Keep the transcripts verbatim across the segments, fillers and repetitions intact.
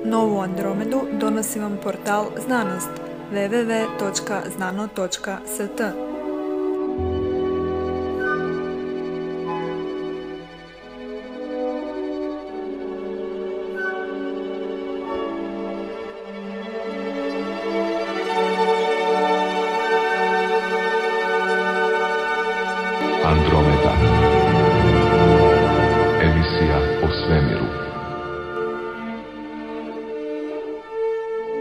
Novu Andromedu donosi vam portal Znanost w w w točka znano točka s t. Andromeda. Emisija o svemiru.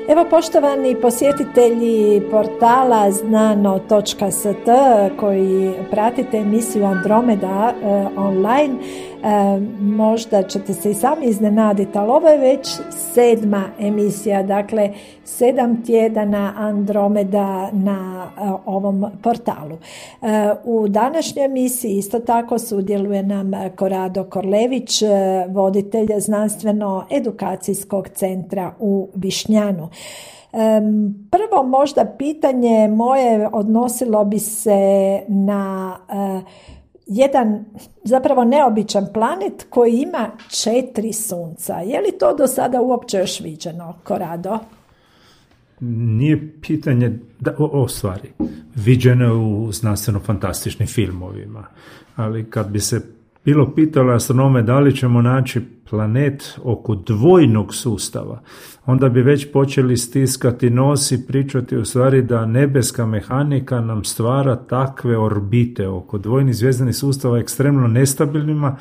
Evo, poštovani posjetitelji portala znano točka s t koji pratite emisiju Andromeda e, online, e, možda ćete se i sami iznenaditi, ali ovo je već sedma emisija, dakle sedam tjedana Andromeda na e, ovom portalu. E, u današnjoj emisiji isto tako sudjeluje nam Korado Korlević, e, voditelj znanstveno-edukacijskog centra u Višnjanu. Prvo možda pitanje moje odnosilo bi se na uh, jedan zapravo neobičan planet koji ima četiri sunca. Je li to do sada uopće još viđeno, Korado? Nije pitanje, da, o, o stvari, viđeno je u znanstveno-fantastičnim filmovima, ali kad bi se bilo pitalo astronome da li ćemo naći planet oko dvojnog sustava, onda bi već počeli stiskati nos i pričati u stvari da nebeska mehanika nam stvara takve orbite oko dvojnih zvjezdanih sustava ekstremno nestabilnima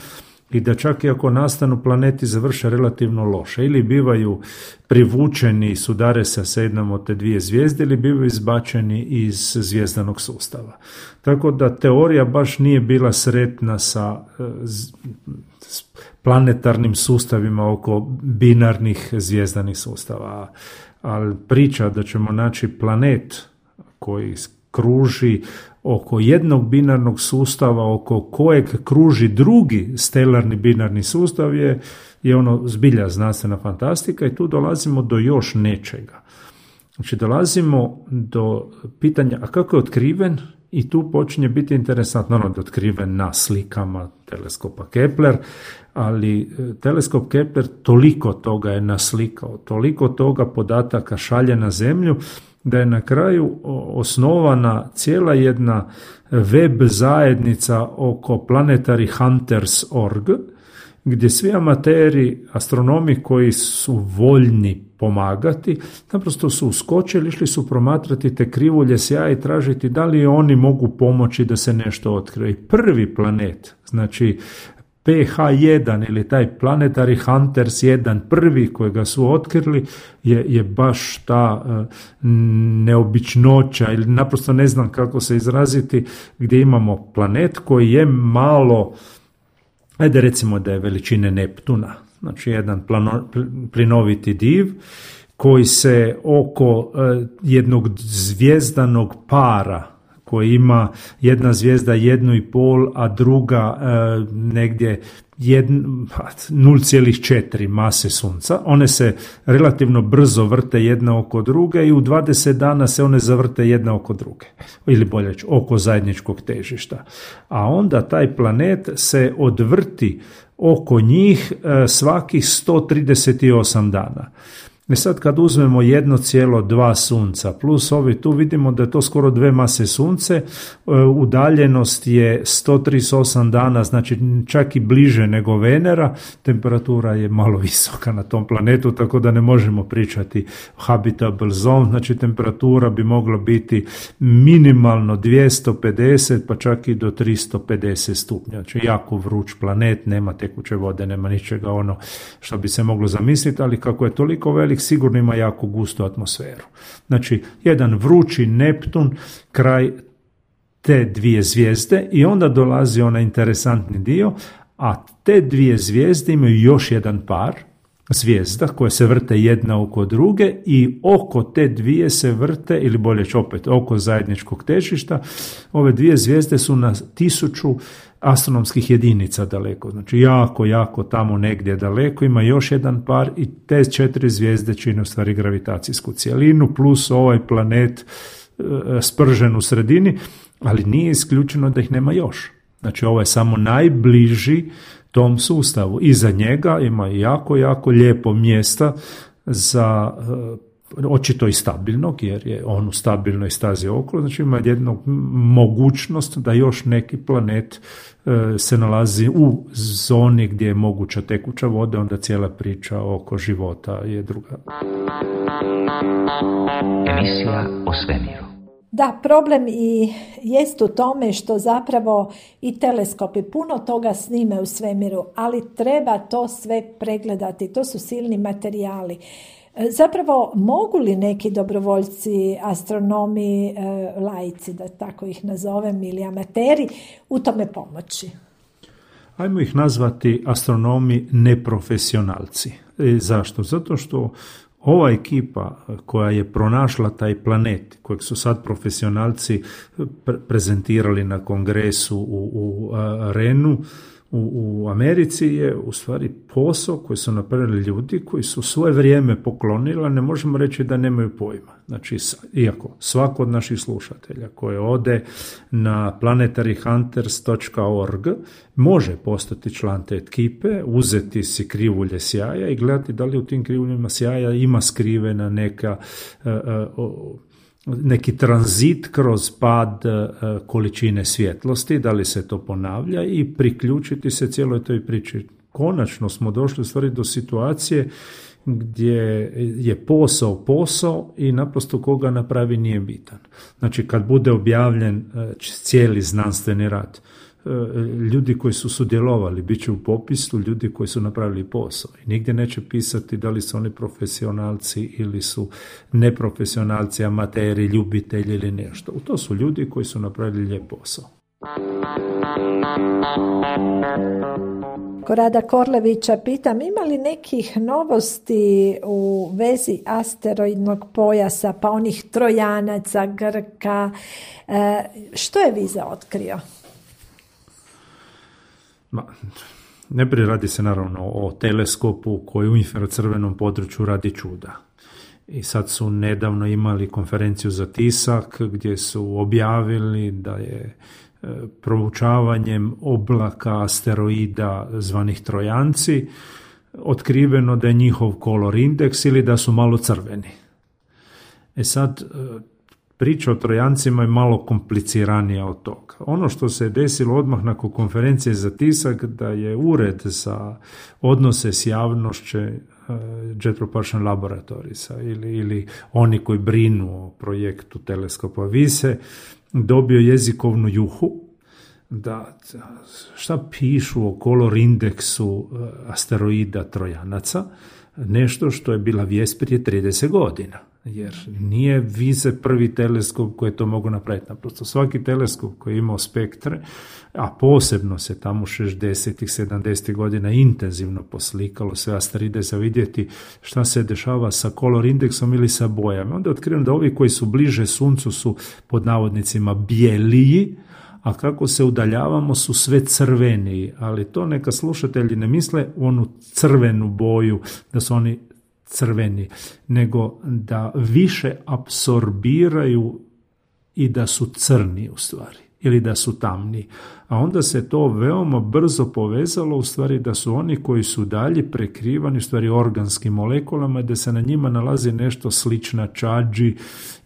i da čak i ako nastanu planeti završe relativno loše ili bivaju privučeni i sudare se sa jednom od te dvije zvijezde ili bivaju izbačeni iz zvjezdanog sustava. Tako da teorija baš nije bila sretna sa s planetarnim sustavima oko binarnih zvjezdanih sustava. Ali priča da ćemo naći planet koji kruži oko jednog binarnog sustava, oko kojeg kruži drugi stelarni binarni sustav je, je ono zbilja znanstvena fantastika i tu dolazimo do još nečega. Znači dolazimo do pitanja, a kako je otkriven? I tu počinje biti interesantno, ono da je otkriven na slikama teleskopa Kepler, ali teleskop Kepler toliko toga je naslikao, toliko toga podataka šalje na Zemlju, da je na kraju osnovana cijela jedna web zajednica oko Planetary Hunters dot org, gdje svi amateri, astronomi koji su voljni pomagati, naprosto su uskočili, išli su promatrati te krivulje sjaja i tražiti da li oni mogu pomoći da se nešto otkrije. I prvi planet, znači P H jedan ili taj Planetary Hunters jedan, prvi kojega su otkrili, je, je baš ta uh, neobičnoća ili naprosto ne znam kako se izraziti, gdje imamo planet koji je malo, ajde recimo da je veličine Neptuna, znači jedan plano, plinoviti div koji se oko uh, jednog zvjezdanog para koji ima jedna zvijezda jednu i pol, a druga e, negdje nula zarez četiri mase Sunca. One se relativno brzo vrte jedna oko druge i u dvadeset dana se one zavrte jedna oko druge. Ili bolje reći, oko zajedničkog težišta. A onda taj planet se odvrti oko njih e, svakih sto trideset osam dana. I sad kad uzmemo jedno cijelo dva sunca plus ovi, tu vidimo da je to skoro dve mase Sunce, udaljenost je sto trideset osam dana, znači čak i bliže nego Venera, temperatura je malo visoka na tom planetu, tako da ne možemo pričati habitable zone, znači temperatura bi mogla biti minimalno dvjesto pedeset pa čak i do tristo pedeset stupnja, znači jako vruć planet, nema tekuće vode, nema ničega ono što bi se moglo zamisliti, ali kako je toliko velik, sigurno ima jako gustu atmosferu. Znači, jedan vrući Neptun kraj te dvije zvijezde i onda dolazi onaj interesantni dio, a te dvije zvijezde imaju još jedan par zvijezda koje se vrte jedna oko druge i oko te dvije se vrte, ili bolje opet oko zajedničkog težišta, ove dvije zvijezde su na tisuću astronomskih jedinica daleko, znači jako, jako tamo negdje daleko ima još jedan par i te četiri zvijezde čine u stvari gravitacijsku cijelinu plus ovaj planet e, spržen u sredini, ali nije isključeno da ih nema još. Znači ovo je samo najbliži tom sustavu. Iza njega ima jako, jako lijepo mjesta za očito i stabilnog, jer je on u stabilnoj stazi okolo, znači ima jednu mogućnost da još neki planet se nalazi u zoni gdje je moguća tekuća voda, onda cijela priča oko života je druga. Emisija o svemiru. Da, problem i jest u tome što zapravo i teleskopi puno toga snime u svemiru, ali treba to sve pregledati, to su silni materijali. Zapravo, mogu li neki dobrovoljci, astronomi, laici, da tako ih nazovem, ili amateri, u tome pomoći? Ajmo ih nazvati astronomi neprofesionalci. E, zašto? Zato što ova ekipa koja je pronašla taj planet, kojeg su sad profesionalci pre- prezentirali na kongresu u, u a, Renu, U, u Americi, je u stvari posao koji su napravili ljudi koji su svoje vrijeme poklonili, ne možemo reći da nemaju pojma. Znači, iako svako od naših slušatelja koji ode na planetary hunters dot org može postati član te ekipe, uzeti si krivulje sjaja i gledati da li u tim krivuljima sjaja ima skrivena neka uh, uh, neki tranzit kroz pad količine svjetlosti, da li se to ponavlja i priključiti se cijeloj toj priči. Konačno smo došli u stvari do situacije gdje je posao posao i naprosto koga napravi nije bitan. Znači kad bude objavljen cijeli znanstveni rad, ljudi koji su sudjelovali bit će u popisu ljudi koji su napravili posao i nigdje neće pisati da li su oni profesionalci ili su neprofesionalci, amateri, ljubitelji ili nešto. To su ljudi koji su napravili lijep posao. Korada Korlevića pitam, ima li nekih novosti u vezi asteroidnog pojasa, pa onih Trojanaca, Grka, e, što je Viza otkrio? Ma, najprije radi se naravno o teleskopu koji u infracrvenom području radi čuda. I sad su nedavno imali konferenciju za tisak gdje su objavili da je e, proučavanjem oblaka asteroida zvanih Trojanci otkriveno da je njihov color indeks ili da su malo crveni. E sad, e, priča o Trojancima je malo kompliciranija od toga. Ono što se je desilo odmah nakon konferencije za tisak, da je ured za odnose s javnošću Jet Propulsion Laboratorisa ili, ili oni koji brinu o projektu teleskopa Vise dobio jezikovnu juhu da šta pišu o color indeksu asteroida Trojanaca, nešto što je bila vijest prije trideset godina. Jer nije Vize prvi teleskop koji to mogu napraviti. Naprosto svaki teleskop koji je imao spektre, a posebno se tamo šezdesetih, sedamdesetih godina intenzivno poslikalo sve asteroide za vidjeti šta se dešava sa color indeksom ili sa bojama. Onda je otkriveno da ovi koji su bliže Suncu su pod navodnicima bijeliji, a kako se udaljavamo su sve crveniji. Ali to neka slušatelji ne misle u onu crvenu boju, da su oni crveni, nego da više apsorbiraju i da su crni u stvari, ili da su tamni. A onda se to veoma brzo povezalo u stvari da su oni koji su dalje prekrivani u stvari organskim molekulama, da se na njima nalazi nešto slično čađi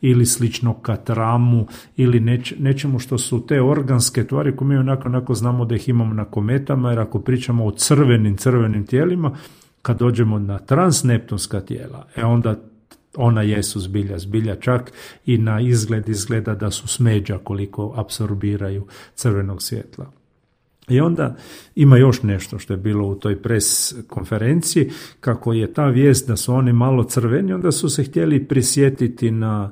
ili slično katramu ili neč, nečemu što su te organske tvari koje mi onako, onako znamo da ih imamo na kometama, jer ako pričamo o crvenim, crvenim tijelima, kad dođemo na transneptunska tijela, e onda ona jesu zbilja, zbilja čak i na izgled izgleda da su smeđa koliko apsorbiraju crvenog svjetla. I onda ima još nešto što je bilo u toj pres konferenciji, kako je ta vijest da su oni malo crveni, onda su se htjeli prisjetiti na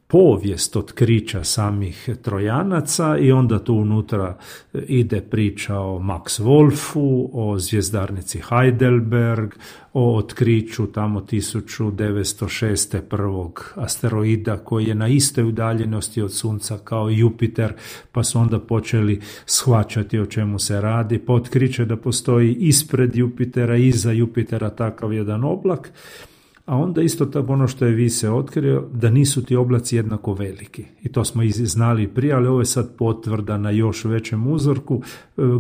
povijest otkrića samih Trojanaca i onda tu unutra ide priča o Max Wolfu, o zvjezdarnici Heidelberg, o otkriću tamo tisuću devetsto šeste prvog asteroida koji je na istoj udaljenosti od Sunca kao Jupiter, pa su onda počeli shvaćati o čemu se radi, pa otkriće da postoji ispred Jupitera, iza Jupitera takav jedan oblak. A onda isto tako ono što je Vise otkrio, da nisu ti oblaci jednako veliki. I to smo i znali prije, ali ovo je sad potvrda na još većem uzorku.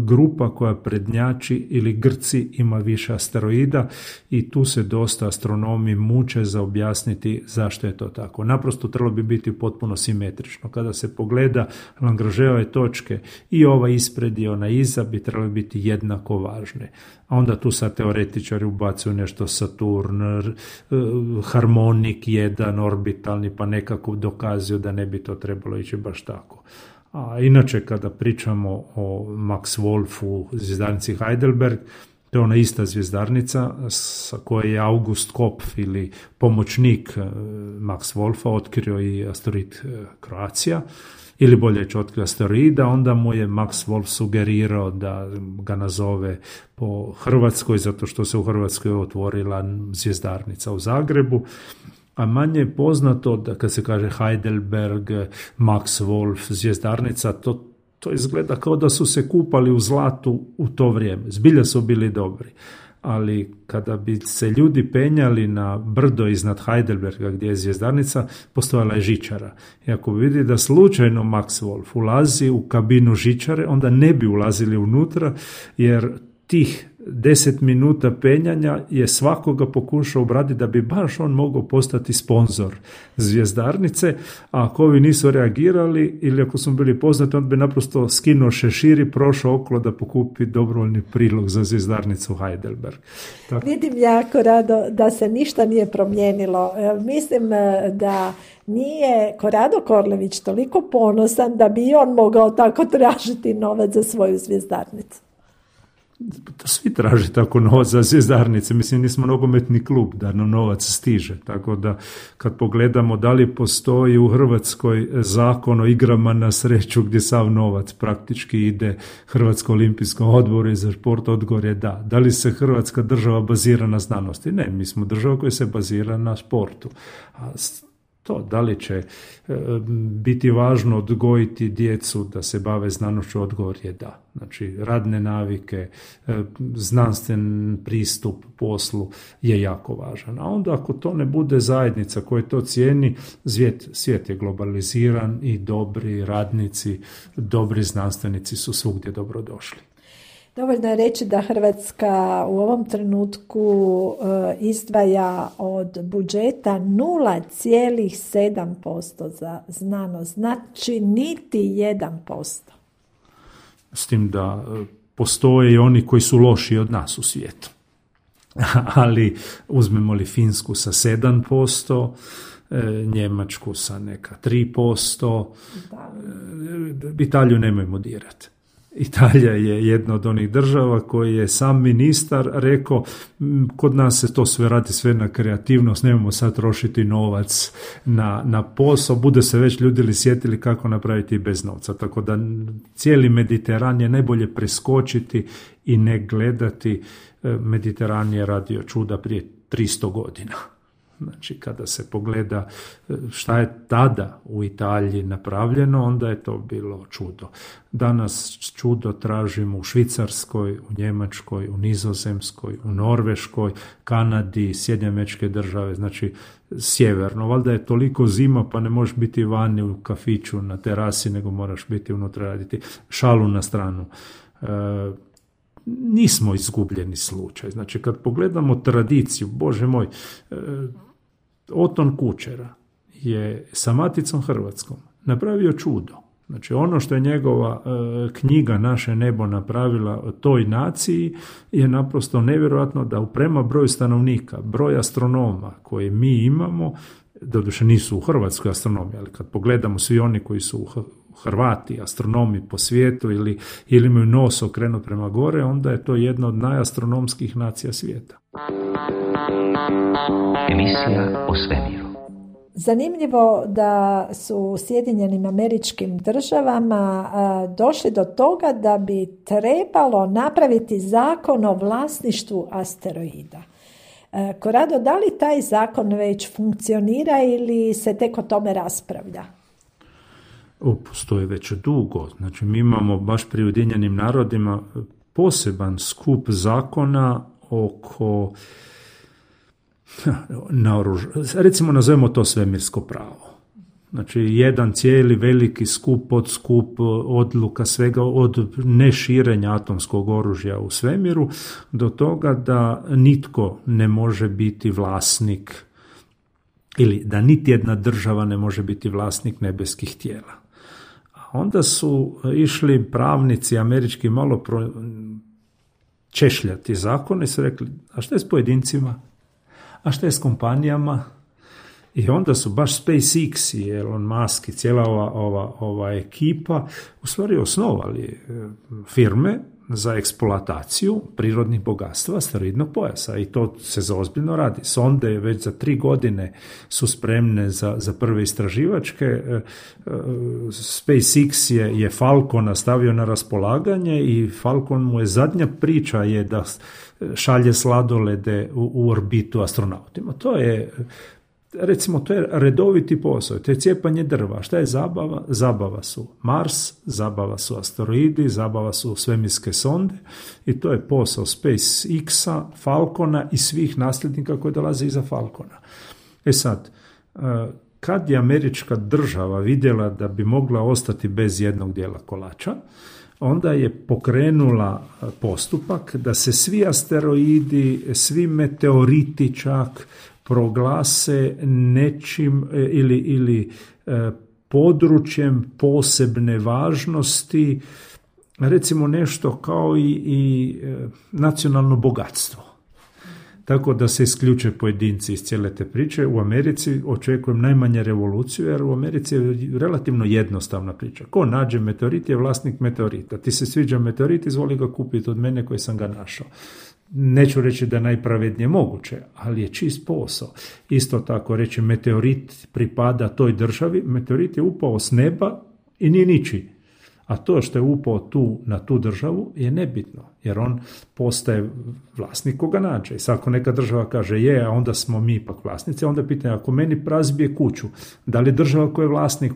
Grupa koja prednjači ili Grci ima više asteroida i tu se dosta astronomi muče za objasniti zašto je to tako. Naprosto trebalo bi biti potpuno simetrično. Kada se pogleda Lagrangeove točke i ova ispred i ona iza bi trebali biti jednako važne. A onda tu sad teoretičari ubacuju nešto Saturn, harmonik jedan, orbitalni, pa nekako dokazuju da ne bi to trebalo ići baš tako. A inače, kada pričamo o Max Wolfu, zvjezdarnici Heidelberg, to je ona ista zvjezdarnica sa koje je August Kopf ili pomoćnik Max Wolfa otkrio i asteroid Croatia, ili bolje će otkrio asteroida, onda mu je Max Wolf sugerirao da ga nazove po Hrvatskoj, zato što se u Hrvatskoj otvorila zvjezdarnica u Zagrebu. A manje je poznato da kad se kaže Heidelberg, Max Wolf, zvjezdarnica, to, to izgleda kao da su se kupali u zlatu u to vrijeme. Zbilja su bili dobri. Ali kada bi se ljudi penjali na brdo iznad Heidelberga gdje je zvjezdarnica, postojala je žičara. I ako vidi da slučajno Max Wolf ulazi u kabinu žičare, onda ne bi ulazili unutra, jer tih deset minuta penjanja je svakoga pokušao obraditi da bi baš on mogao postati sponzor zvjezdarnice, a ako ovi nisu reagirali ili ako su bili poznati, on bi naprosto skinuo šešir i prošao okolo da pokupi dobrovoljni prilog za zvjezdarnicu Heidelberg. Tako. Vidim jako rado da se ništa nije promijenilo. Mislim da nije Korado Korlević toliko ponosan da bi on mogao tako tražiti novac za svoju zvjezdarnicu. Svi traže tako novac za zvjezdarnice, mislim nismo nogometni klub da nam novac stiže, tako da kad pogledamo da li postoji u Hrvatskoj zakon o igrama na sreću gdje sav novac praktički ide Hrvatskom olimpijskom odboru i za šport, odgovor je da. Da li se Hrvatska država bazira na znanosti? Ne, mi smo država koja se bazira na sportu. A to, da li će e, biti važno odgojiti djecu da se bave znanošću, odgovor je da. Znači, radne navike, e, znanstven pristup poslu je jako važan. A onda ako to ne bude zajednica koja to cijeni, svijet, svijet je globaliziran i dobri radnici, dobri znanstvenici su svugdje dobrodošli. Dovoljno je reći da Hrvatska u ovom trenutku e, izdvaja od budžeta nula zarez sedam posto za znanost, znači niti jedan posto. S tim da postoje i oni koji su lošiji od nas u svijetu. Ali uzmemo li Finsku sa sedam posto, Njemačku sa neka tri posto, da. Italiju nemojmo dirati. Italija je jedna od onih država koji je sam ministar rekao, kod nas se to sve radi sve na kreativnost, nemojmo sad trošiti novac na, na posao, bude se već ljudi sjetili kako napraviti bez novca. Tako da cijeli Mediteran je najbolje preskočiti i ne gledati. Mediteran je radio čuda prije tristo godina. Znači, kada se pogleda šta je tada u Italiji napravljeno, onda je to bilo čudo. Danas čudo tražimo u Švicarskoj, u Njemačkoj, u Nizozemskoj, u Norveškoj, Kanadi, Sjedinjene Američke Države, znači sjeverno. Valjda je toliko zima pa ne možeš biti vani u kafiću na terasi, nego moraš biti unutra raditi. Šalu na stranu. E, nismo izgubljeni slučaj. Znači, kad pogledamo tradiciju, Bože moj, e, Oton Kučera je sa Maticom Hrvatskom napravio čudo. Znači, ono što je njegova e, knjiga Naše nebo napravila toj naciji je naprosto nevjerojatno da prema broju stanovnika, broj astronoma koje mi imamo, doduše nisu u Hrvatskoj astronomiji, ali kad pogledamo svi oni koji su Hrvati, astronomi po svijetu ili, ili imaju nos okrenut prema gore, onda je to jedna od najastronomskih nacija svijeta. Emisija o svemiru. Zanimljivo da su u Sjedinjenim Američkim Državama a, došli do toga da bi trebalo napraviti zakon o vlasništvu asteroida. A, Korado, da li taj zakon već funkcionira ili se tek o tome raspravlja? O, postoji već dugo. Znači, mi imamo baš pri Ujedinjenim narodima poseban skup zakona oko naoruž... recimo nazovemo to svemirsko pravo. Znači, jedan cijeli veliki skup, podskup odluka svega od neširenja atomskog oružja u svemiru do toga da nitko ne može biti vlasnik ili da niti jedna država ne može biti vlasnik nebeskih tijela. A onda su išli pravnici američki malo pro... češljati zakone i su rekli, a šta je s pojedincima? A šta je s kompanijama? I onda su baš SpaceX i Elon Musk i cijela ova, ova, ova ekipa u stvari osnovali firme za eksploataciju prirodnih bogatstva asteroidnog pojasa i to se zaozbiljno radi. Sonde već za tri godine su spremne za, za prve istraživačke. SpaceX je, je Falcona stavio na raspolaganje i Falcon mu je zadnja priča je da šalje sladolede u, u orbitu astronautima. To je recimo, to je redoviti posao, to je cijepanje drva. Šta je zabava? Zabava su Mars, zabava su asteroidi, zabava su svemirske sonde i to je posao SpaceX-a, Falcona i svih nasljednika koji dolaze iza Falcona. E sad, kad je američka država vidjela da bi mogla ostati bez jednog dijela kolača, onda je pokrenula postupak da se svi asteroidi, svi meteoriti čak proglase nečim ili, ili e, područjem posebne važnosti, recimo nešto kao i, i e, nacionalno bogatstvo. Tako da se isključe pojedinci iz cijele te priče. U Americi očekujem najmanje revoluciju, jer u Americi je relativno jednostavna priča. Ko nađe meteorit je vlasnik meteorita. Ti se sviđa meteorit, izvoli ga kupiti od mene koji sam ga našao. Neću reći da je najpravednije moguće, ali je čist posao. Isto tako reći meteorit pripada toj državi, meteorit je upao s neba i nije ničiji. A to što je upao tu na tu državu je nebitno, jer on postaje vlasnik koga nađe. I sad ako neka država kaže je, a onda smo mi ipak vlasnici, onda pitanje, ako meni razbije kuću, da li država koja je vlasnik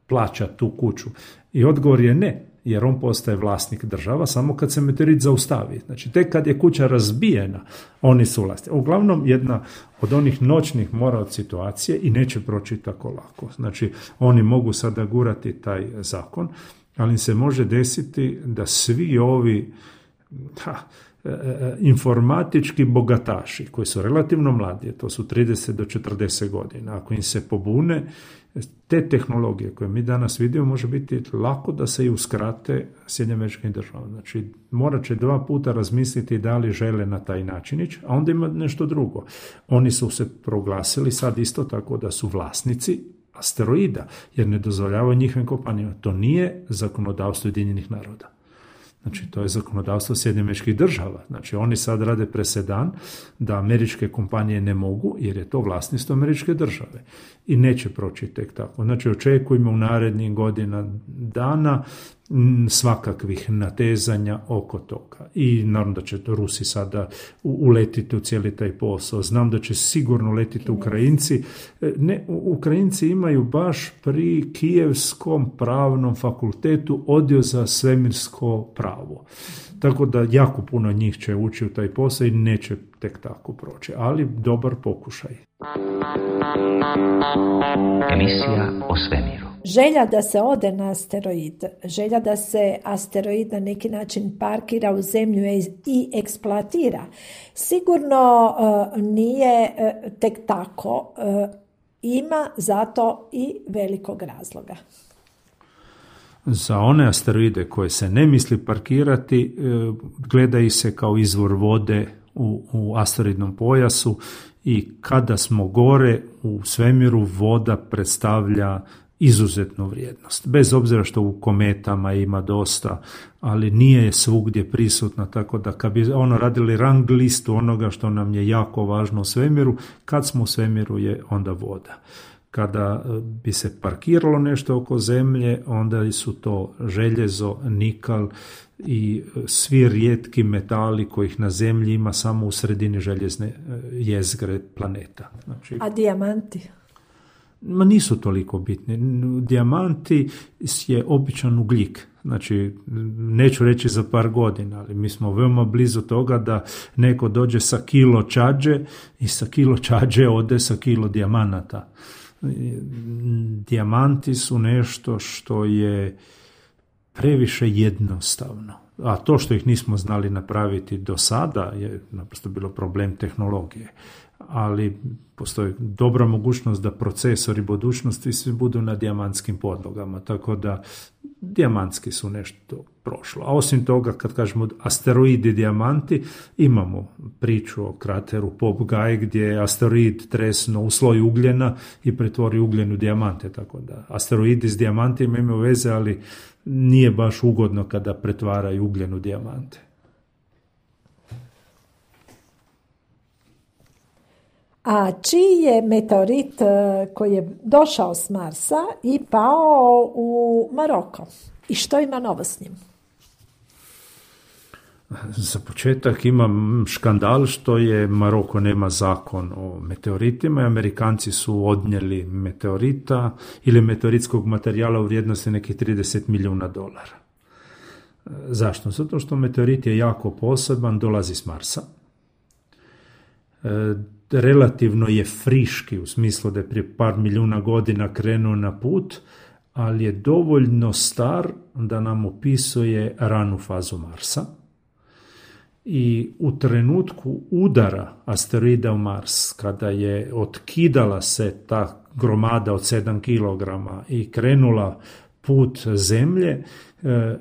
plaća tu kuću? I odgovor je ne, jer on postaje vlasnik država samo kad se meteorit zaustavi. Znači, tek kad je kuća razbijena, oni su vlasnici. Uglavnom, jedna od onih noćnih mora od situacije i neće proći tako lako. Znači, oni mogu sada gurati taj zakon, ali se može desiti da svi ovi ha, informatički bogataši, koji su relativno mladi, to su trideset do četrdeset godina, ako im se pobune, te tehnologije koje mi danas vidimo može biti lako da se i uskrate Sjedinjenim Američkim Državama. Znači, morat će dva puta razmisliti da li žele na taj način ići, a onda ima nešto drugo. Oni su se proglasili sad isto tako da su vlasnici asteroida, jer ne dozvoljavaju njihovim kompanijama. To nije zakonodavstvo Ujedinjenih naroda. Znači, to je zakonodavstvo Sjedinjenih Američkih Država. Znači, oni sad rade presedan da američke kompanije ne mogu, jer je to vlasništvo američke države. I neće proći tek tako. Znači, očekujemo u narednih godina dana svakakvih natezanja oko toga. I naravno da će to Rusi sada uletiti u cijeli taj posao. Znam da će sigurno letiti Ukrajinci. Ne, Ukrajinci imaju baš pri Kijevskom pravnom fakultetu odjel za svemirsko pravo. Tako da jako puno njih će ući u taj posao i neće tek tako proći. Ali dobar pokušaj. Emisija o svemiru. Želja da se ode na asteroid, želja da se asteroid na neki način parkira u zemlju i eksploatira, sigurno uh, nije uh, tek tako, uh, ima zato i velikog razloga. Za one asteroide koje se ne misli parkirati, uh, gledaju se kao izvor vode u, u asteroidnom pojasu i kada smo gore u svemiru, voda predstavlja izuzetnu vrijednost. Bez obzira što u kometama ima dosta, ali nije svugdje prisutna, tako da kad bi ono radili rang listu onoga što nam je jako važno u svemiru, kad smo u svemiru je onda voda. Kada bi se parkiralo nešto oko zemlje, onda su to željezo, nikal i svi rijetki metali kojih na zemlji ima samo u sredini željezne jezgre planeta. Znači, a dijamanti? Ma nisu toliko bitni. Dijamanti je običan ugljik. Znači, neću reći za par godina, ali mi smo veoma blizu toga da neko dođe sa kilo čađe i sa kilo čađe ode sa kilo dijamanata. Dijamanti su nešto što je previše jednostavno. A to što ih nismo znali napraviti do sada je naprosto bilo problem tehnologije. Ali postoji dobra mogućnost da procesori budućnosti svi budu na dijamantskim podlogama, tako da dijamantski su nešto prošlo. A osim toga, kad kažemo asteroidi dijamanti, imamo priču o krateru Popeye gdje je asteroid tresno u sloj ugljena i pretvori ugljen u dijamante, tako da asteroidi s dijamantima imaju veze, ali nije baš ugodno kada pretvaraju ugljen u dijamante. A čiji je meteorit koji je došao s Marsa i pao u Maroko? I što ima novo s njim? Za početak imam škandal što je Maroko nema zakon o meteoritima i Amerikanci su odnijeli meteorita ili meteoritskog materijala u vrijednosti nekih trideset milijuna dolara. Zašto? Zato što meteorit je jako poseban, dolazi s Marsa. E, relativno je friški u smislu da je prije par milijuna godina krenuo na put, ali je dovoljno star da nam opisuje ranu fazu Marsa. I u trenutku udara asteroida u Mars, kada je otkidala se ta gromada od sedam kilograma i krenula put Zemlje, e,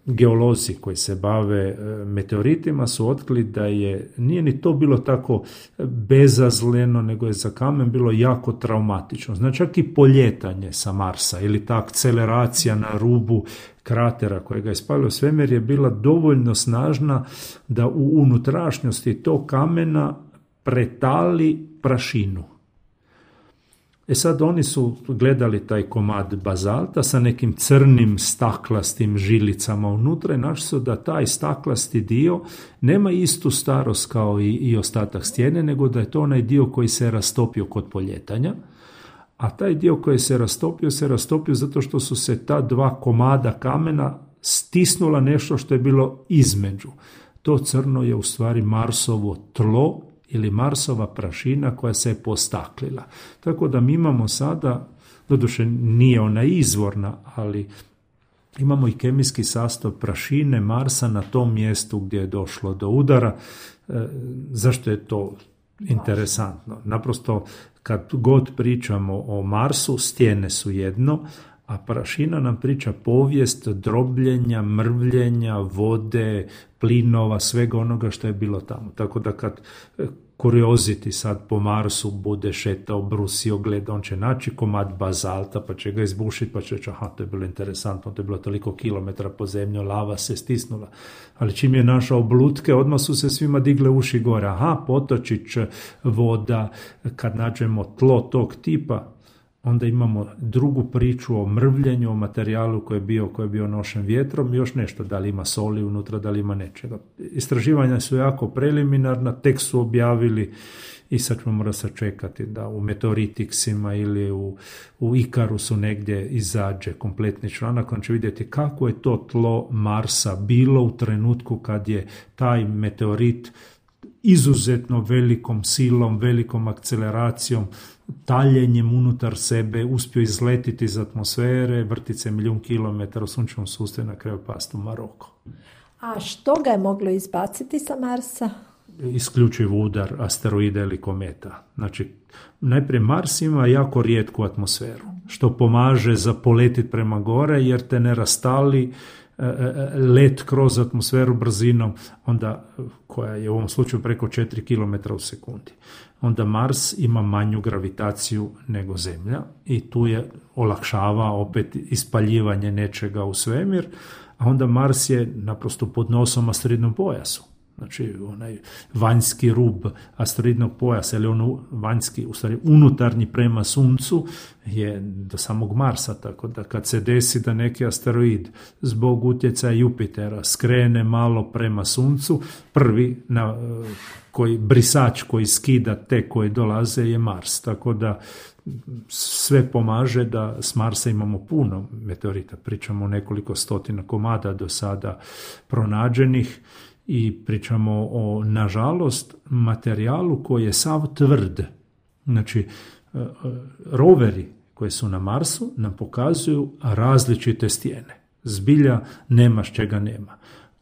geolozi koji se bave meteoritima su otkrili da je, nije ni to bilo tako bezazleno, nego je za kamen bilo jako traumatično. Znači čak i poljetanje sa Marsa ili ta akceleracija na rubu kratera kojega je spalio svemir je bila dovoljno snažna da u unutrašnjosti tog kamena pretali prašinu. E sad oni su gledali taj komad bazalta sa nekim crnim staklastim žilicama unutra i našli su da taj staklasti dio nema istu starost kao i, i ostatak stijene, nego da je to onaj dio koji se rastopio kod poljetanja. A taj dio koji se rastopio, se rastopio zato što su se ta dva komada kamena stisnula nešto što je bilo između. To crno je u stvari Marsovo tlo ili Marsova prašina koja se je postaklila. Tako da mi imamo sada, doduše nije ona izvorna, ali imamo i kemijski sastav prašine Marsa na tom mjestu gdje je došlo do udara. E, zašto je to interesantno? Naprosto kad god pričamo o Marsu, stijene su jedno, a prašina nam priča povijest drobljenja, mrvljenja, vode, plinova, svega onoga što je bilo tamo. Tako da kad kurioziti sad po Marsu bude šetao, brusio, gleda, on će naći komad bazalta, pa će ga izbušiti, pa će reći, aha, to je bilo interesantno, to je bilo toliko kilometra po zemlju, lava se stisnula. Ali čim je našao blutke, odmah su se svima digle uši gore. Aha, potočić, voda, kad nađemo tlo tog tipa, onda imamo drugu priču o mrvljenju, o materijalu koji je bio, koji je bio nošen vjetrom i još nešto, da li ima soli unutra, da li ima nečega. Istraživanja su jako preliminarna, tek su objavili i sad ćemo morati sačekati da u Meteoriticsima ili u, u Ikarusu negdje izađe kompletni članak, on će vidjeti kako je to tlo Marsa bilo u trenutku kad je taj meteorit izuzetno velikom silom, velikom akceleracijom, taljenjem unutar sebe uspio izletiti iz atmosfere, vrtiti se milijun kilometara u sunčevom sustavu i na kraju pasti u Maroko. A što ga je moglo izbaciti sa Marsa? Isključiv udar asteroida ili kometa. Znači, najprije Mars ima jako rijetku atmosferu, što pomaže za poletit prema gore, jer te ne rastali let kroz atmosferu brzinom, onda, koja je u ovom slučaju preko četiri kilometra u sekundi. Onda Mars ima manju gravitaciju nego Zemlja i tu je olakšava opet ispaljivanje nečega u svemir, a onda Mars je naprosto pod nosom asteroidnom pojasu. Znači, onaj vanjski rub asteroidnog pojasa, ili ono vanjski, u stvari unutarnji prema Suncu, je do samog Marsa, tako da kad se desi da neki asteroid zbog utjecaja Jupitera skrene malo prema Suncu, prvi na, koji, brisač koji skida te koji dolaze je Mars, tako da sve pomaže da s Marsa imamo puno meteorita, pričamo o nekoliko stotina komada do sada pronađenih, i pričamo o, nažalost, materijalu koji je sav tvrd. Znači, roveri koji su na Marsu nam pokazuju različite stijene. Zbilja nema s čega nema.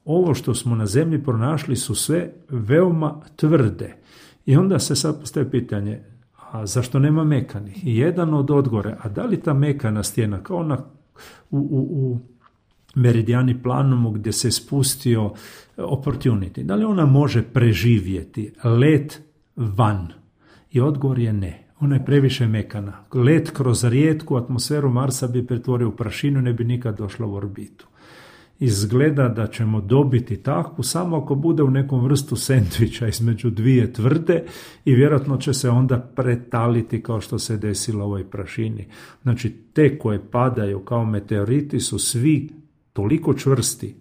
Ovo što smo na Zemlji pronašli su sve veoma tvrde. I onda se sad postaje pitanje, a zašto nema mekanih? I jedan od odgovora, a da li ta mekana stijena, kao ona u, u, u Meridijani Planumu gdje se spustio Opportunity, da li ona može preživjeti let van? I odgovor je ne. Ona je previše mekana. Let kroz rijetku atmosferu Marsa bi pretvorio u prašinu, ne bi nikad došla u orbitu. Izgleda da ćemo dobiti takvu samo ako bude u nekom vrstu sendviča između dvije tvrde i vjerojatno će se onda pretaliti kao što se desilo u ovoj prašini. Znači, te koje padaju kao meteoriti su svi toliko čvrsti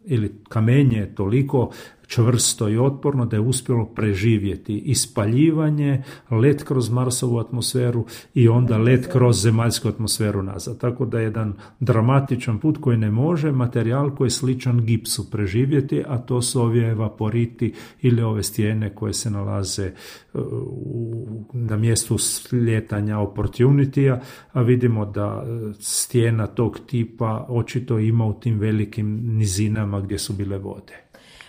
ili kamenje je toliko čvrsto i otporno da je uspjelo preživjeti ispaljivanje, let kroz Marsovu atmosferu i onda let kroz zemaljsku atmosferu nazad. Tako da je jedan dramatičan put koji ne može materijal koji je sličan gipsu preživjeti, a to su ovi evaporiti ili ove stijene koje se nalaze u, na mjestu slijetanja Opportunity-a, a vidimo da stijena tog tipa očito ima u tim velikim nizinama gdje su bile vode.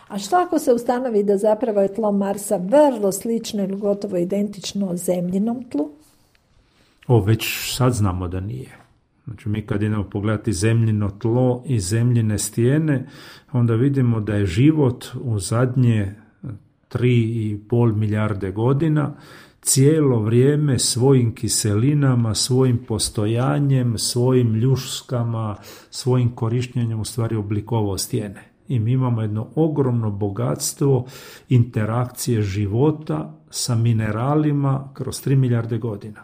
A što ako se ustanovi da zapravo je tlo Marsa vrlo slično ili gotovo identično zemljinom tlu? O, već sad znamo da nije. Znači, mi kad idemo pogledati zemljino tlo i zemljine stijene, onda vidimo da je život u zadnje tri i pol milijarde godina cijelo vrijeme svojim kiselinama, svojim postojanjem, svojim ljuskama, svojim korištenjem u stvari oblikovao stijene. I mi imamo jedno ogromno bogatstvo interakcije života sa mineralima kroz tri milijarde godina.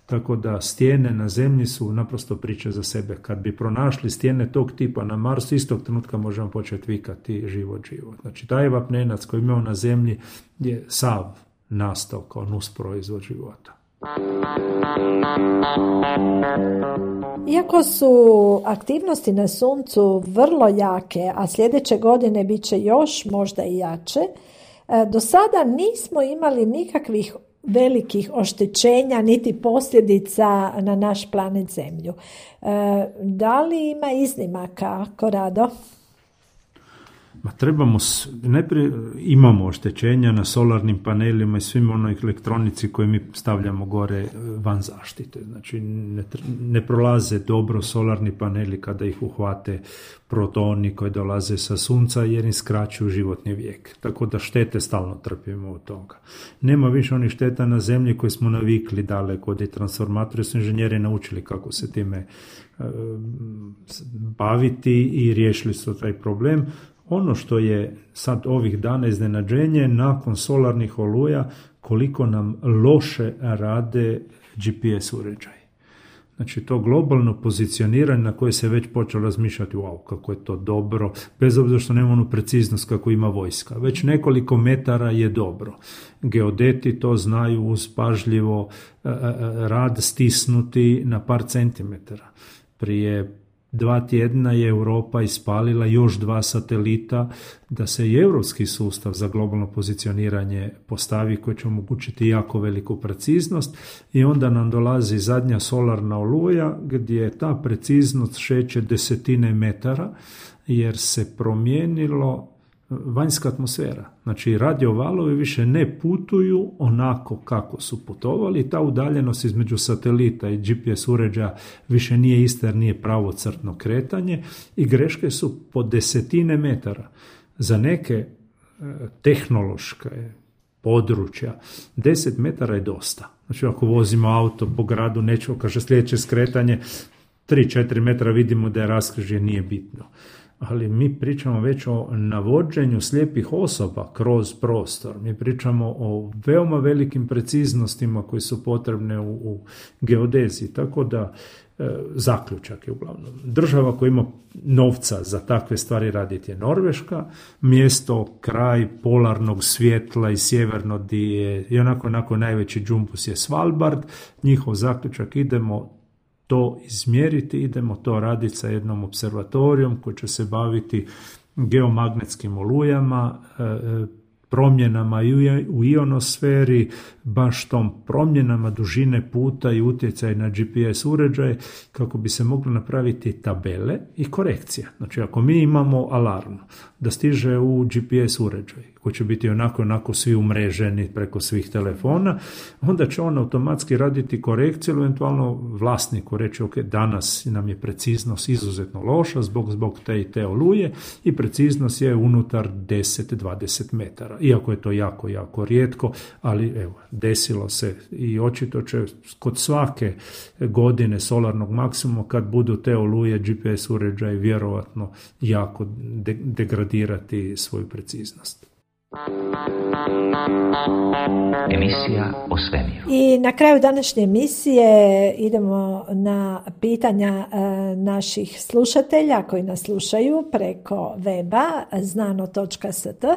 Tako da stijene na Zemlji su naprosto priče za sebe. Kad bi pronašli stijene tog tipa na Marsu, istog trenutka možemo početi vikati život, život. Znači, taj vapnenac koji imamo na Zemlji je sav nastao kao nusproizvod života. Iako su aktivnosti na Suncu vrlo jake, a sljedeće godine bit će još možda i jače, do sada nismo imali nikakvih velikih oštećenja niti posljedica na naš planet Zemlju. Da li ima iznimaka, Korado? Ma trebamo, najprije imamo oštećenja na solarnim panelima i svim onoj elektronici koje mi stavljamo gore van zaštite. Znači ne, ne prolaze dobro solarni paneli kada ih uhvate protoni koji dolaze sa Sunca jer im skraćuju životni vijek. Tako da štete stalno trpimo od toga. Nema više onih šteta na Zemlji koje smo navikli daleko od transformatora, su inženjeri naučili kako se time uh, baviti i riješili su taj problem. Ono što je sad ovih dana iznenađenje nakon solarnih oluja, koliko nam loše rade G P S uređaji. Znači to globalno pozicioniranje na koje se već počelo razmišljati, wow, kako je to dobro, bez obzira što nema onu preciznost kako ima vojska. Već nekoliko metara je dobro. Geodeti to znaju uz pažljivo rad stisnuti na par centimetara. Prije dva tjedna je Europa ispalila još dva satelita da se i europski sustav za globalno pozicioniranje postavi koji će omogućiti jako veliku preciznost i onda nam dolazi zadnja solarna oluja gdje ta preciznost šeće desetine metara jer se promijenilo vanjska atmosfera. Znači radiovalovi više ne putuju onako kako su putovali, ta udaljenost između satelita i G P S uređaja više nije ista jer nije pravocrtno kretanje i greške su po desetine metara. Za neke tehnološke područja deset metara je dosta. Znači ako vozimo auto po gradu, nećemo, kaže sljedeće skretanje tri četiri metra vidimo da je raskrižje, nije bitno. ali mi pričamo već o navođenju slijepih osoba kroz prostor. Mi pričamo o veoma velikim preciznostima koje su potrebne u, u geodeziji, tako da e, zaključak je uglavnom. Država koja ima novca za takve stvari raditi je Norveška, mjesto, kraj polarnog svjetla i sjeverno di je i onako, onako najveći džumpus je Svalbard. Njihov zaključak, idemo to izmjeriti, idemo to raditi sa jednom observatorijom koji će se baviti geomagnetskim olujama, promjenama u ionosferi, baš tom promjenama dužine puta i utjecaj na G P S uređaje, kako bi se moglo napraviti tabele i korekcija. Znači, ako mi imamo alarm da stiže u G P S uređaj, koji će biti onako onako svi umreženi preko svih telefona, onda će on automatski raditi korekciju, eventualno vlasniku reći, ok, danas nam je preciznost izuzetno loša zbog, zbog te i te oluje i preciznost je unutar deset do dvadeset metara. Iako je to jako, jako rijetko, ali evo, desilo se i očito će kod svake godine solarnog maksimuma, kad budu te oluje, G P S uređaj vjerovatno jako de- degradirati svoju preciznost. Emisija o svemiru. I na kraju današnje emisije idemo na pitanja e, naših slušatelja koji nas slušaju preko weba znano točka s t.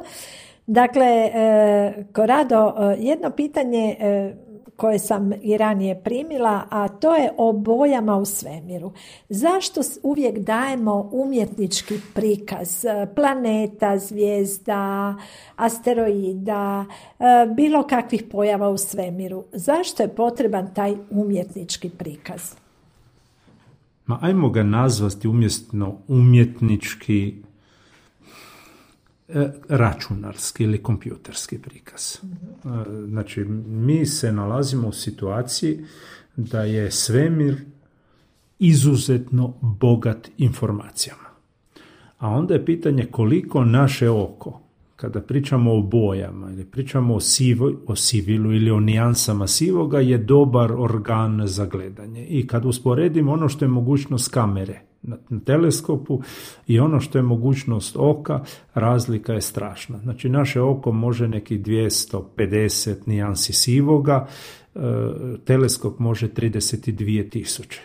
Dakle, e, Korado, jedno pitanje e, koje sam i ranije primila, a to je o bojama u svemiru. Zašto uvijek dajemo umjetnički prikaz planeta, zvijezda, asteroida, bilo kakvih pojava u svemiru? Zašto je potreban taj umjetnički prikaz? Ma ajmo ga nazvati umjesto umjetnički računarski ili kompjuterski prikaz. Znači, mi se nalazimo u situaciji da je svemir izuzetno bogat informacijama. A onda je pitanje koliko naše oko, kada pričamo o bojama ili pričamo o, sivo, o sivilu ili o nijansama sivoga, je dobar organ za gledanje. I kad usporedimo ono što je mogućnost kamere na teleskopu i ono što je mogućnost oka, razlika je strašna. Znači, naše oko može neki dvjesto pedeset nijansi sivoga, teleskop može trideset dvije tisuće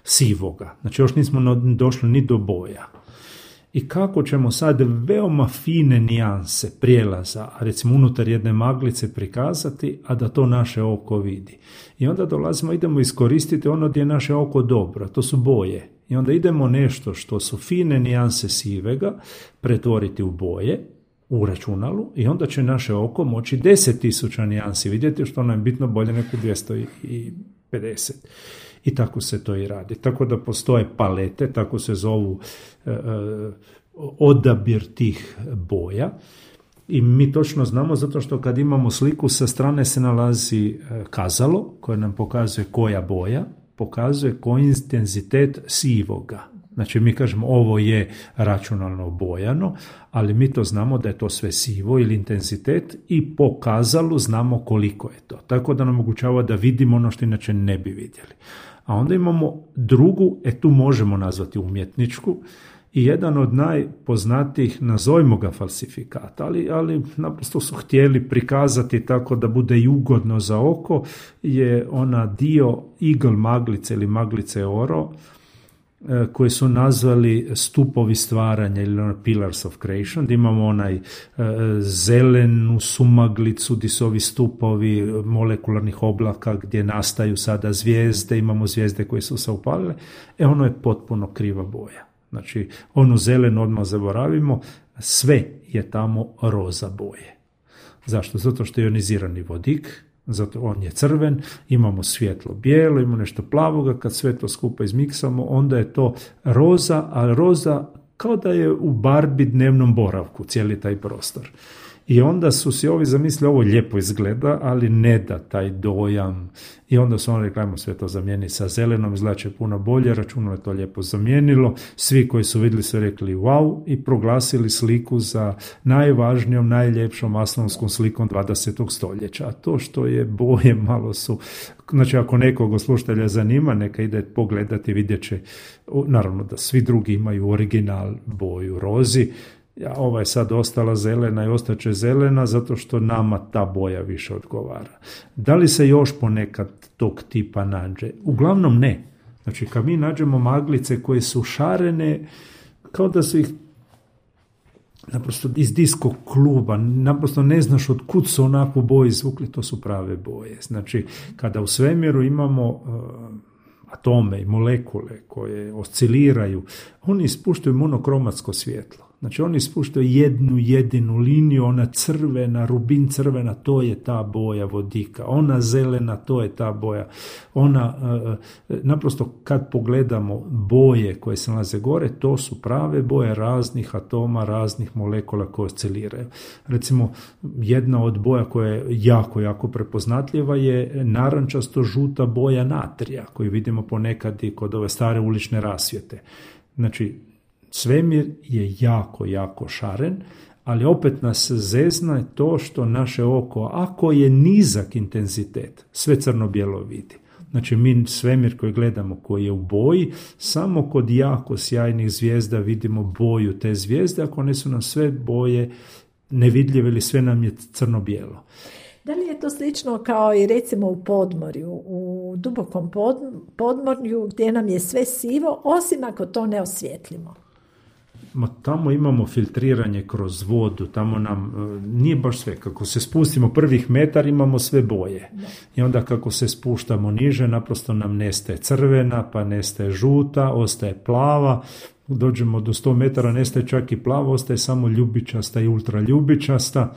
sivoga. Znači, još nismo došli ni do boja. I kako ćemo sad veoma fine nijanse prijelaza, recimo unutar jedne maglice prikazati, a da to naše oko vidi. I onda dolazimo, idemo iskoristiti ono gdje je naše oko dobro, to su boje. I onda idemo nešto što su fine nijanse sivega pretvoriti u boje, u računalu, i onda će naše oko moći deset tisuća nijansi vidjeti, što nam je bitno bolje nego dvjesto pedeset. I tako se to i radi. Tako da postoje palete, tako se zovu e, odabir tih boja. I mi točno znamo, zato što kad imamo sliku, sa strane se nalazi kazalo koje nam pokazuje koja boja, pokazuje koji intenzitet sivoga. Znači, mi kažemo ovo je računalno obojano, ali mi to znamo da je to sve sivo ili intenzitet i po kazalu znamo koliko je to. Tako da nam omogućava da vidimo ono što inače ne bi vidjeli. A onda imamo drugu, e tu možemo nazvati umjetničku, i jedan od najpoznatijih, nazovimo ga falsifikata, ali, ali naprosto su htjeli prikazati tako da bude i ugodno za oko, je ona dio Eagle maglice ili maglice Oro, koje su nazvali stupovi stvaranja ili Pillars of Creation, da imamo onaj e, zelenu sumaglicu gdje su ovi stupovi molekularnih oblaka gdje nastaju sada zvijezde, imamo zvijezde koje su se upalile, e ono je potpuno kriva boja. Znači, onu zelenu odmah zaboravimo, sve je tamo roza boje. Zašto? Zato što je ionizirani vodik, zato on je crven, imamo svjetlo bijelo, imamo nešto plavoga, kad sve to skupa izmiksamo, onda je to roza, a roza kao da je u Barbie dnevnom boravku, cijeli taj prostor. I onda su si ovi zamislili, ovo lijepo izgleda, ali ne da taj dojam. I onda su oni rekli, ajmo sve to zamijeniti sa zelenom, izgledaće puno bolje, računalo je to lijepo zamijenilo. Svi koji su vidjeli su rekli wow i proglasili sliku za najvažnijom, najljepšom astronomskom slikom dvadesetog stoljeća. A to što je boje malo su, znači ako nekog slušatelja zanima, neka ide pogledati, vidjet će, naravno da svi drugi imaju original boju rozi, ova je sad ostala zelena i ostaće zelena zato što nama ta boja više odgovara. Da li se još ponekad tog tipa nađe? Uglavnom ne. Znači kad mi nađemo maglice koje su šarene, kao da su ih naprosto iz disko kluba, naprosto ne znaš od kud su onakvu boju izvukli, to su prave boje. Znači kada u svemiru imamo uh, atome i molekule koje osciliraju, oni ispuštaju monokromatsko svjetlo. Znači oni ispuštaju jednu jedinu liniju, ona crvena, rubin crvena, to je ta boja vodika, ona zelena, to je ta boja. Ona, e, naprosto kad pogledamo boje koje se nalaze gore, to su prave boje raznih atoma, raznih molekula koje osciliraju. Recimo, jedna od boja koja je jako, jako prepoznatljiva je narančasto-žuta boja natrija, koju vidimo ponekad i kod ove stare ulične rasvjete. Znači, svemir je jako, jako šaren, ali opet nas zezna to što naše oko, ako je nizak intenzitet, sve crno-bijelo vidi. Znači mi svemir koji gledamo, koji je u boji, samo kod jako sjajnih zvijezda vidimo boju te zvijezde, ako ne su nam sve boje nevidljive ili sve nam je crno-bijelo. Da li je to slično kao i recimo u podmorju, u dubokom podmorju gdje nam je sve sivo, osim ako to ne osvijetlimo? Ma tamo imamo filtriranje kroz vodu, tamo nam nije baš sve. Kako se spustimo prvih metar imamo sve boje. Da. I onda kako se spuštamo niže, naprosto nam nestaje crvena, pa nestaje žuta, ostaje plava. Dođemo do sto metara, nestaje čak i plava, ostaje samo ljubičasta i ultraljubičasta.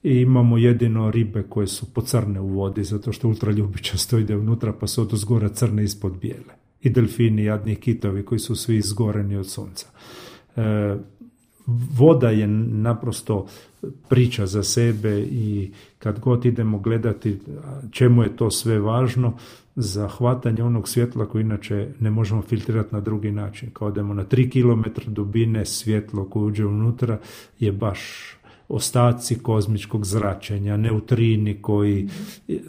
I imamo jedino ribe koje su pocrne u vodi, zato što ultraljubičasto ide unutra, pa su od uzgora crne ispod bijele. I delfini, jadni kitovi koji su svi izgoreni od sunca. E, voda je naprosto priča za sebe i kad god idemo gledati čemu je to sve važno, za hvatanje onog svjetla koje inače ne možemo filtrirati na drugi način. Kao idemo na tri kilometra dubine, svjetlo koje uđe unutra je baš ostaci kozmičkog zračenja, neutrini koji,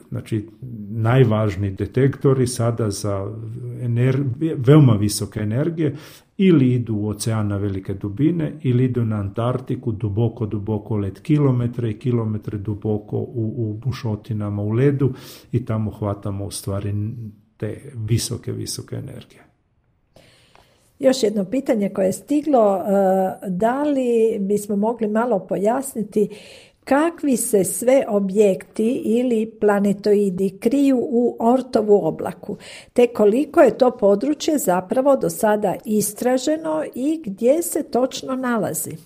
znači najvažniji detektori sada za energije, veoma visoke energije, ili idu u ocean na velike dubine, ili idu na Antarktiku duboko, duboko led, kilometre i kilometre duboko u, u bušotinama u ledu i tamo hvatamo u stvari te visoke, visoke energije. Još jedno pitanje koje je stiglo, da li bismo mogli malo pojasniti kakvi se sve objekti ili planetoidi kriju u Oortovu oblaku, te koliko je to područje zapravo do sada istraženo i gdje se točno nalazi?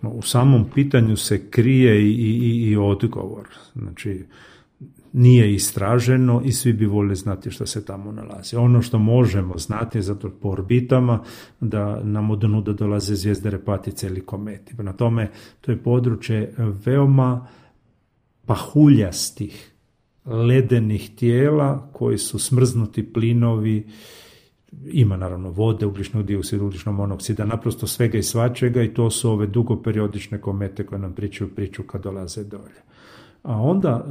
U samom pitanju se krije i, i, i odgovor. Znači, nije istraženo i svi bi volili znati što se tamo nalazi. Ono što možemo znati, zato po orbitama, da nam od nuda dolaze zvijezde repatice ili kometi. Na tome, to je područje veoma pahuljastih, ledenih tijela koji su smrznuti plinovi, ima naravno vode, ugljičnog dioksida, ugljičnog monoksida, naprosto svega i svačega, i to su ove dugoperiodične komete koje nam pričaju priču kad dolaze dolje. A onda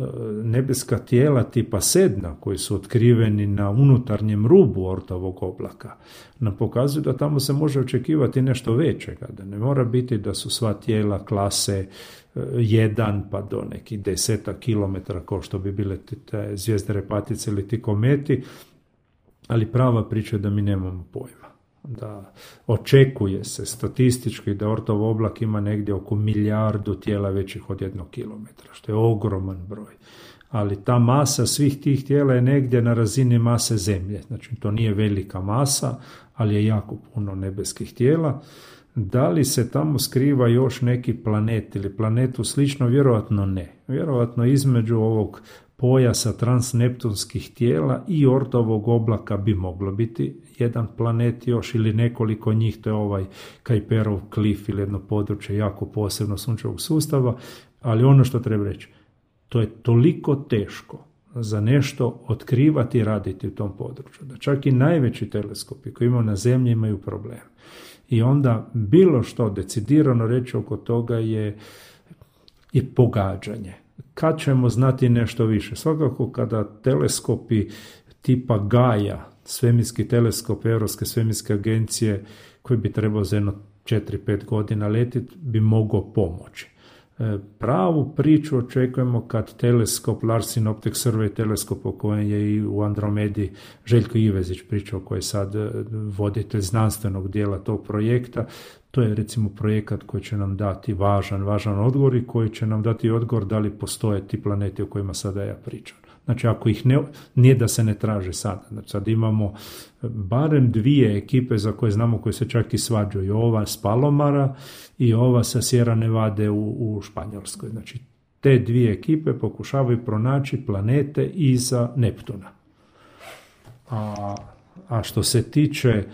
nebeska tijela tipa Sedna, koji su otkriveni na unutarnjem rubu Oortovog oblaka, nam pokazuju da tamo se može očekivati nešto većega, da ne mora biti da su sva tijela klase jedan pa do nekih deseta kilometara, kao što bi bile te zvijezde repatice ili ti kometi, ali prava priča je da mi nemamo pojma. Da očekuje se statistički da Oortov oblak ima negdje oko milijardu tijela većih od jednog kilometra, što je ogroman broj. Ali ta masa svih tih tijela je negdje na razini mase Zemlje. Znači to nije velika masa, ali je jako puno nebeskih tijela. Da li se tamo skriva još neki planet ili planetu slično? Vjerojatno ne. Vjerojatno između ovog pojasa transneptunskih tijela i Ortovog oblaka bi moglo biti jedan planet još ili nekoliko njih, to je ovaj Kuiperov klif ili jedno područje jako posebno sunčevog sustava, ali ono što treba reći, to je toliko teško za nešto otkrivati i raditi u tom području, da čak i najveći teleskopi koji imaju na zemlji imaju problem. I onda bilo što decidirano reći oko toga je, je pogađanje. Kad ćemo znati nešto više? Svakako kada teleskopi tipa Gaia, svemirski teleskop Europske svemirske agencije, koji bi trebao za jedno četiri pet godina letiti, bi mogao pomoći. Pravu priču očekujemo kad teleskop Larsen Optic Survey teleskop o kojem je i u Andromedi Željko Ivezić pričao, koji je sad voditelj znanstvenog dijela tog projekta. To je recimo projekat koji će nam dati važan, važan odgovor i koji će nam dati odgovor da li postoje ti planeti o kojima sada ja pričam. Znači ako ih ne, nije da se ne traže sada. Znači sad imamo barem dvije ekipe za koje znamo koje se čak i svađaju. Ova s Palomara i ova sa Sierra Nevade u, u Španjolskoj. Znači te dvije ekipe pokušavaju pronaći planete iza Neptuna. A, a što se tiče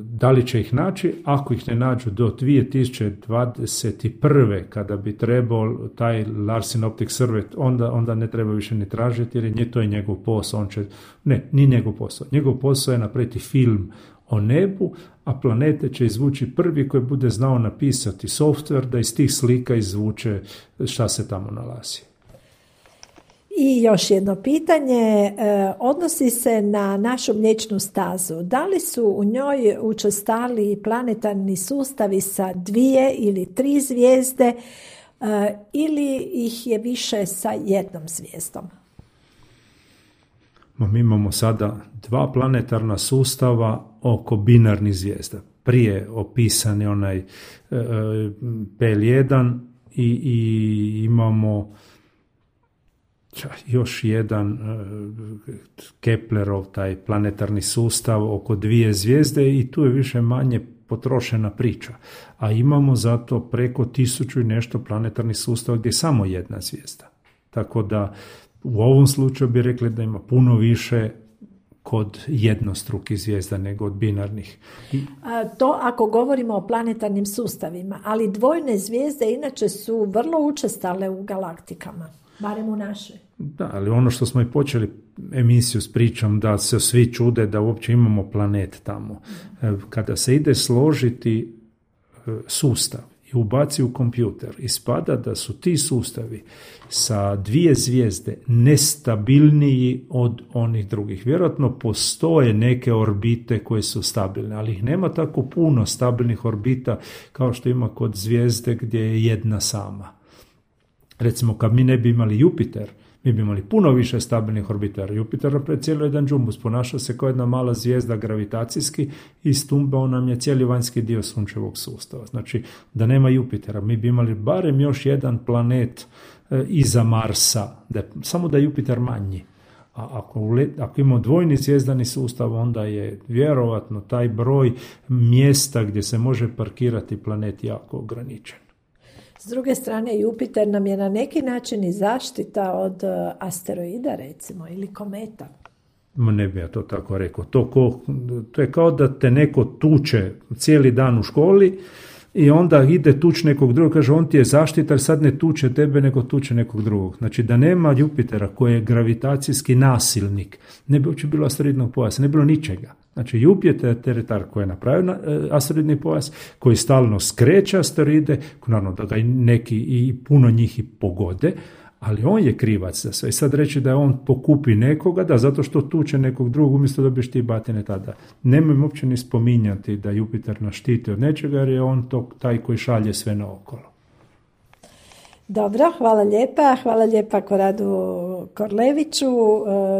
da li će ih naći, ako ih ne nađu do dvije tisuće dvadeset prve kada bi trebao taj Larsen Optic Survey, onda, onda ne treba više ni tražiti, jer je to je njegov posao. On će, ne, ni njegov posao. Njegov posao je napraviti film o nebu, a planete će izvući prvi koji bude znao napisati software da iz tih slika izvuče šta se tamo nalazi. I još jedno pitanje, odnosi se na našu Mliječnu stazu. Da li su u njoj učestali planetarni sustavi sa dvije ili tri zvijezde ili ih je više sa jednom zvijezdom? Mi imamo sada dva planetarna sustava oko binarnih zvijezda. Prije opisani onaj P L jedan i, i imamo još jedan uh, Keplerov, taj planetarni sustav oko dvije zvijezde i tu je više manje potrošena priča. A imamo zato preko tisuću i nešto planetarnih sustava gdje je samo jedna zvijezda. Tako da u ovom slučaju bi rekli da ima puno više kod jednostrukih zvijezda nego od binarnih. I... A, to ako govorimo o planetarnim sustavima, ali dvojne zvijezde inače su vrlo učestale u galaktikama. Barem u našoj. Da, ali ono što smo i počeli emisiju s pričom da se svi čude da uopće imamo planet tamo. Kada se ide složiti sustav i ubaci u kompjuter, ispada da su ti sustavi sa dvije zvijezde nestabilniji od onih drugih. Vjerojatno postoje neke orbite koje su stabilne, ali ih nema tako puno stabilnih orbita kao što ima kod zvijezde gdje je jedna sama. Recimo, kad mi ne bi imali Jupiter, mi bi imali puno više stabilnih orbitara. Jupiter je cijelo jedan džumbus, ponaša se kao jedna mala zvijezda gravitacijski i stumbao nam je cijeli vanjski dio sunčevog sustava. Znači, da nema Jupitera, mi bi imali barem još jedan planet e, iza Marsa, da, samo da je Jupiter manji. A ako, ako imamo dvojni zvijezdani sustav, onda je vjerovatno taj broj mjesta gdje se može parkirati planet jako ograničen. S druge strane, Jupiter nam je na neki način i zaštita od asteroida, recimo, ili kometa. Ma ne bi ja to tako rekao. To, ko, to je kao da te neko tuče cijeli dan u školi i onda ide tuč nekog drugog, kaže on ti je zaštitar, sad ne tuče tebe, nego tuče nekog drugog. Znači da nema Jupitera koji je gravitacijski nasilnik, ne bi uopće bilo asteroidnog pojasa, ne bi bilo ničega. Znači Jupiter je tar koji je napravio asteroidni pojas, koji stalno skreće asteroide, naravno da ga neki i puno njih i pogode, ali on je krivac za sve. I sad reći da je on pokupi nekoga, da zato što tuče nekog drugog, umjesto da biš ti batine tada. Nemoj uopće ni spominjati da Jupiter nas štiti od nečega, jer je on to, taj koji šalje sve naokolo. Dobro, hvala lijepa. Hvala lijepa Koradu Korleviću.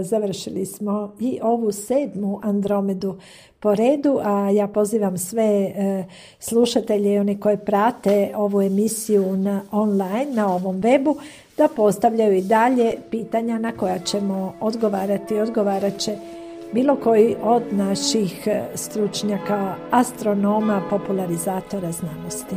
Završili smo i ovu sedmu Andromedu po redu, a ja pozivam sve slušatelje i one koji prate ovu emisiju na online, na ovom webu, da postavljaju i dalje pitanja na koja ćemo odgovarati. Odgovarat će bilo koji od naših stručnjaka, astronoma, popularizatora znanosti.